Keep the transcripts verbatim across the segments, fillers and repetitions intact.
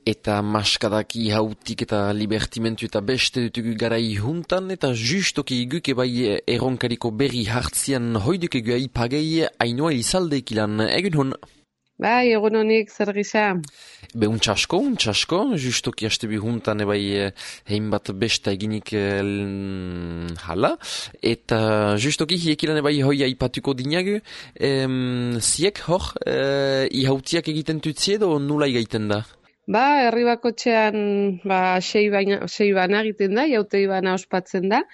eta maskadaki hautik eta libertimentu eta beste dutugu garai juntan, eta justoki guk ebai erronkariko berri hartzian hoiduk egu aipagei Ainhoa Elizaldeek ilan, egun hon? Bai, egun honik, zer gisa? Be, untxasko, untxasko, justoki hastebi juntan ebai hein bat besta eginik el, hala, eta justoki hiek ilan ebai hoi aipatuko dinagu, em, ziek hor, e, ihautiak egiten tutzi edo nula igaiten da? Ba, herri bakotxean ba, sei, baina, sei bana egiten da, jautei bana ospatzen da,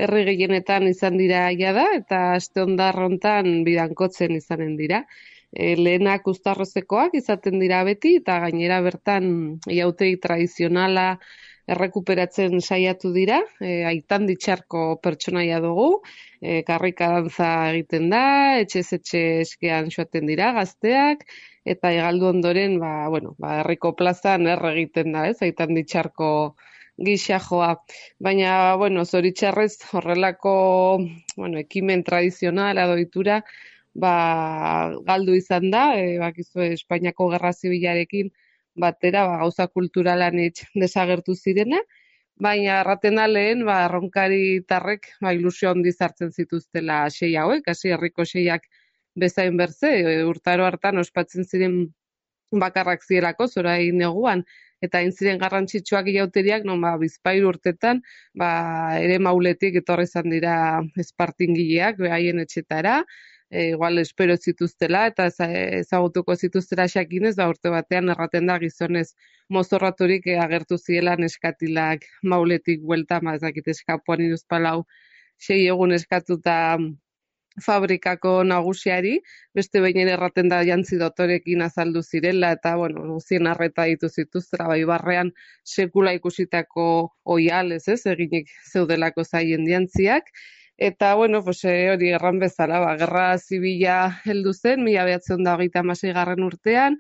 herri gehienetan izan dira jada, eta aste ondarrontan bidankotzen izanen dira. E, lehenak uztarrozekoak izaten dira beti, eta gainera bertan jautei tradizionala errekuperatzen saiatu dira, e, aitan ditxarko pertsonaia dugu, e, karrika dantza egiten da, etxez etxe eskean joaten dira gazteak, eta egaldu ondoren, ba, bueno, ba, herriko plazan erre egiten da, ez, aitan ditxarko gisa joa. Baina, bueno, zoritxarrez horrelako, bueno, ekimen tradizionala doitura, ba, galdu izan da, e, bakizu Espainiako Gerra Zibilarekin batera, ba, gauza kulturalan itx desagertu zirena, baina erraten da lehen, ba, erronkari tarrek, ba, ilusio handiz hartzen zituztela sei hauek, hasi herriko seiak bezain berze, e, urtaro hartan ospatzen ziren bakarrak zirelako, zorain neguan, eta hain ziren garrantzitsuak jauteriak, non ba, bizpahiru urtetan, ba, ere mauletik etorri izan dira espartingileak, behaien etxetara, e, igual espero zituztela, eta ezagutuko zituztela xakinez, ba, urte batean erraten da gizonez mozorraturik e, agertu ziela neskatilak mauletik buelta, ma ezakit eskapuan iruzpalau, sei egun eskatuta fabrikako nagusiari, beste behin erraten da jantzi dotorekin azaldu zirela, eta, bueno, guzien arreta ditu zituztera, bai barrean sekula ikusitako oialez, ez, eginik zeudelako zaien jantziak, eta, bueno, pues, hori erran bezala, ba, gerra zibila heldu zen, mila behatzen da hogeita hamasei garren urtean,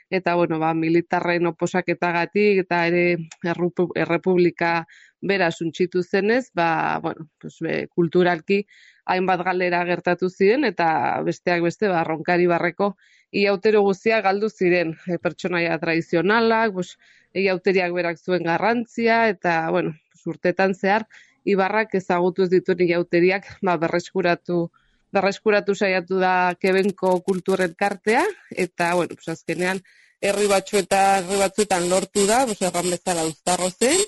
eta, bueno, ba, militarren oposaketagatik, eta ere errepublika bera suntxitu zenez, ba, bueno, pues, be, kulturalki hainbat galera gertatu ziren, eta besteak beste, ba, ronkari barreko iautero guztiak galdu ziren, e, pertsonaia tradizionalak, pues, iauteriak berak zuen garrantzia, eta, bueno, pues, urtetan zehar, ibarrak ezagutu ez dituen iauteriak, ba, berreskuratu, berreskuratu saiatu da Kebenko kulturen kartea, eta, bueno, pues, azkenean, herri batzuetan, herri batzuetan lortu da, pues, erran bezala uztarro zen,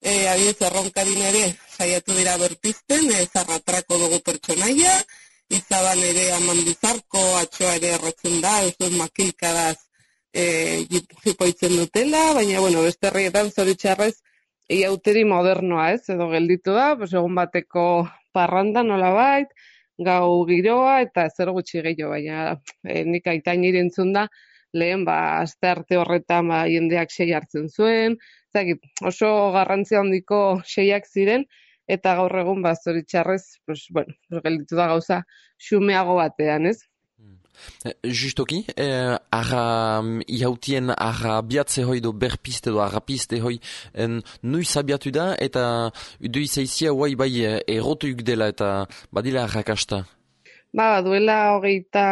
E, abiez erronkarin ere saiatu dira berpizten, e, zarratrako dugu pertsonaia, izaban ere amandizarko, atxoa ere erretzen da, ez makilkadaz e, jipoitzen dutela, baina, bueno, beste herrietan zoritxarrez iauteri modernoa, ez, edo gelditu da, pues, egun bateko parranda nolabait, gau giroa, eta zer gutxi gehiago, baina e, nik aitain irentzun da, lehen, ba, aste arte horretan, ba, jendeak sei hartzen zuen, zakit, oso garrantzia handiko seiak ziren, eta gaur egun, ba, zoritxarrez, pues, bueno, gelditu da gauza xumeago batean, ez? Justoki, eh, arra ihautien arra biatze hoi do berpiste do arra piste hoi en, nuiz abiatu da, eta du izaizia guai bai erotuik dela eta badila arrakasta. Ba, duela hogeita,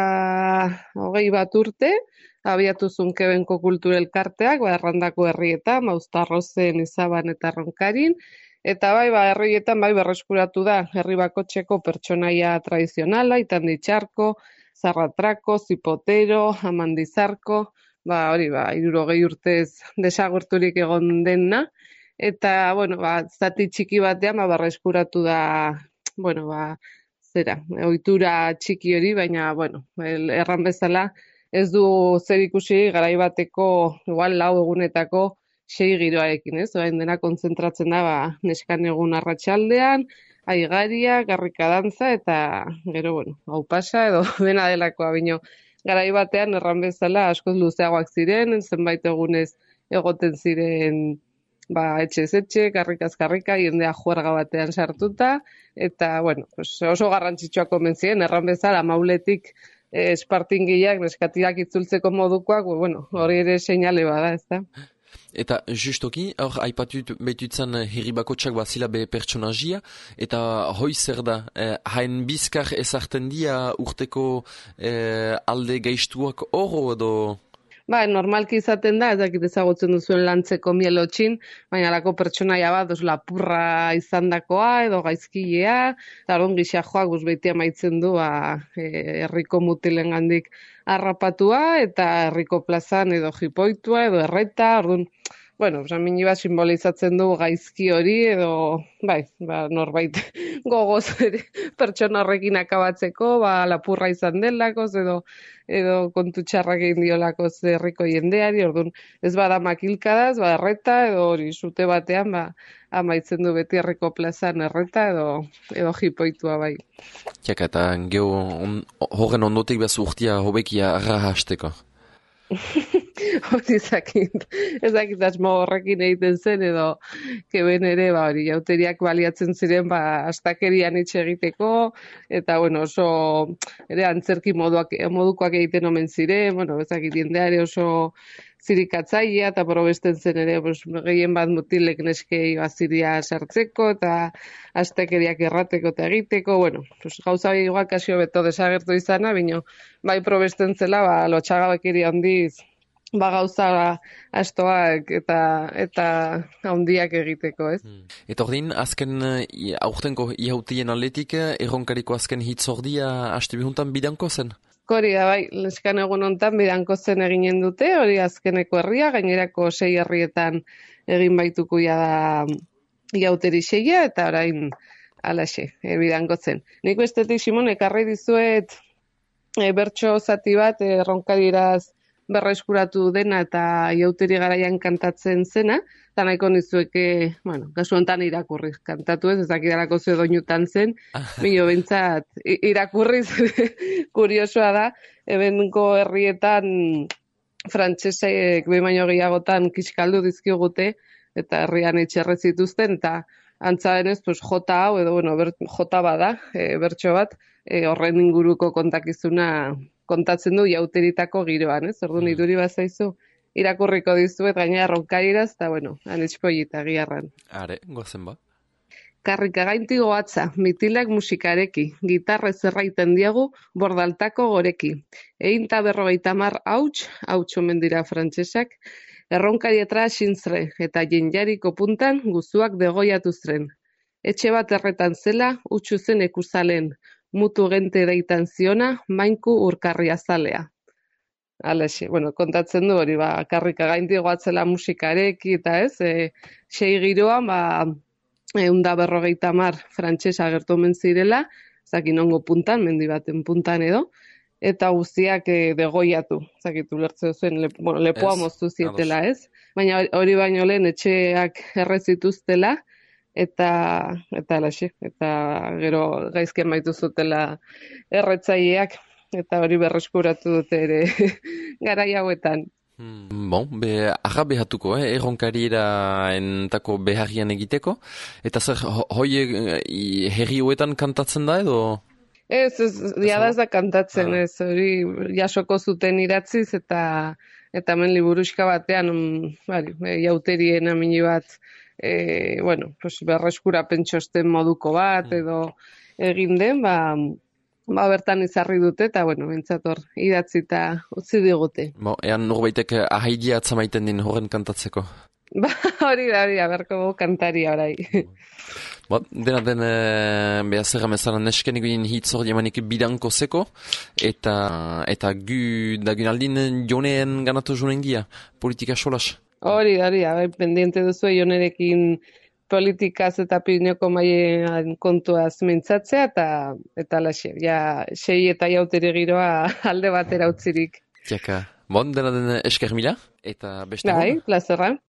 hogei bat urte, abiatu zuen Kebenko kultura elkarteak, ba, errandako herrietan, Mauztarrozen, Izaban eta Ronkarin, eta bai, ba, herrietan bai berreskuratu da, herri bakotxeko pertsonaia tradizionala, itan ditxarko, zarratrako, zipotero, amandizarko, ba, hori, ba, hirurogei urtez desagerturik egon dena, eta, bueno, ba, zati txiki batean, ba, berreskuratu da, bueno, ba, zera, ohitura txiki hori, baina, bueno, erran bezala, ez du zer ikusi garai bateko, igual lau egunetako sei giroarekin, ez? Orain dena kontzentratzen da, ba, neskan egun arratsaldean, aigaria, garrika dantza, eta gero, bueno, hau pasa edo dena delakoa, bino, garai batean erran bezala askoz luzeagoak ziren, zenbait egunez egoten ziren, ba, etxez etxe, karrikaz karrika, jendea juerga batean sartuta, eta, bueno, pues oso garrantzitsuak omen ziren, erran bezala mauletik e, espartingileak, neskatiak itzultzeko modukoak, bueno, hori ere seinale bada, ez da? Eta justoki, hor aipatut behitutzen herri bakotxak bazila be pertsonajia, eta hoi zer da, eh, hain bizkar ezarten dia urteko eh, alde gaiztuak oro edo? Ba, normalki izaten da, ez dakit ezagutzen duzuen lantzeko mielotxin, baina alako pertsonaia bat, os lapurra izandakoa edo gaizkilea, eta orduan gisa joak guz beti amaitzen du ba, e, herriko mutilengandik harrapatua eta herriko plazan edo jipoitua edo erreta, orduan, bueno, samini bat simbolizatzen du gaizki hori edo, bai, ba, norbait gogoz ere pertsona horrekin akabatzeko, ba, lapurra izan delakoz edo edo kontu txarrak egin diolakoz herriko jendeari, orduan ez bada makilkadaz, ba, erreta edo hori sute batean, ba, amaitzen du beti herriko plazan erreta edo edo jipoitua bai. Tiaka, eta geho on, horren ondotik behaz urtia hobekia arra hasteko. Hori ezakit, ezakit asmo horrekin egiten zen edo keben ere, ba, hori, jauteriak baliatzen ziren, ba, astakerian itxe egiteko, eta, bueno, oso, ere, antzerki moduak, modukoak egiten omen ziren, bueno, ezakit, jendeare oso zirikatzailea, eta probesten zen ere, pues, gehien bat mutilek neskei baziria sartzeko, eta astakeriak errateko eta egiteko, bueno, pues, gauza igual kasio beto desagertu izana, bino, bai probesten zela, ba, lotxagabekiri handiz, ba gauza astoak eta eta handiak egiteko, ez? Hmm. Eta ordin, azken uh, aurtenko ihautien atletik, erronkariko azken hitzordia haste bihuntan bidanko zen? Hori da, bai, leskan egun hontan bidanko zen eginen dute, hori azkeneko herria, gainerako sei herrietan egin baituko ja da iauteri seia, eta orain alaxe, e, bidanko zen. Nik bestetik, Simon, ekarri dizuet e, bertso zati bat erronkariraz berreskuratu dena eta iauteri garaian kantatzen zena, eta nahiko nizueke, bueno, kasu honetan irakurriz kantatu ez, ez dakidalako ze doinutan zen, bino bentsat irakurriz kuriosoa da, ebenko herrietan frantsesek behin baino gehiagotan kiskaldu dizkigute, eta herrian etxerre zituzten, eta antza denez, pues, jota hau, edo, bueno, ber, jota bada, e, bertso bat, e, horren inguruko kontakizuna kontatzen du jauteritako giroan, ez? Orduan iduri bazaizu irakurriko dizuet gainera ronkariraz, eta bueno, anitxpollita giarran. Are, gozen ba. Karrika gainti goatza, mitilak musikareki, gitarre zerraiten diagu bordaltako goreki. Einta berrogeita mar hauts, hauts omen dira frantsesak, erronkarietara sinzre, eta jenjariko puntan guzuak degoiatu zren. Etxe bat erretan zela, utxu zen ekuzalen, mutu gente deitan ziona, mainku urkarria zalea. Alaxe, bueno, kontatzen du hori, ba, karrika gainti goatzela musikareki, eta ez, e, sei giroan, ba, eunda berrogeita mar frantxesa agertu omen zirela, zakin ongo puntan, mendi baten puntan edo, eta guztiak e, degoiatu, zakitu lertze zuen, le, bueno, lepoa Ez, moztu zietela, ados. ez? Baina hori baino lehen etxeak errezituztela, eta eta alaxe, eta gero gaizki amaitu zutela erretzaileak, eta hori berreskuratu dute ere garai hauetan. Hmm, bon, be, arra behatuko, eh, erronkariera entako beharrian egiteko, eta zer, ho, hoi eh, herri huetan kantatzen da edo? Ez, ez, jada ez da kantatzen, Ah. ez, hori jasoko zuten idatziz, eta eta hemen liburuxka batean, mm, bari, e, jauterien amini bat, e, bueno, pues berreskurapen txosten moduko bat, edo egin den, ba, ba bertan izarri dute, eta, bueno, bentsator idatzita utzi digute. Bo, ean norbaitek ahaidia atzamaiten din horren kantatzeko. Ba, hori da, hori da, berko gu kantaria orai. Ba, dena den e, behar zerra mezalan nesken egin hitz hor jamanik bidanko zeko, eta eta gu dagun aldin joneen ganatu jonen gia, politika solas. Hori da, hori da, bai, pendiente duzu jonerekin politikaz eta Pirinoko maien kontuaz mintzatzea, eta eta laxe, ja, sei eta jautere giroa alde batera utzirik. Tiaka, bon, dena den esker mila, eta beste Bai, plazerra.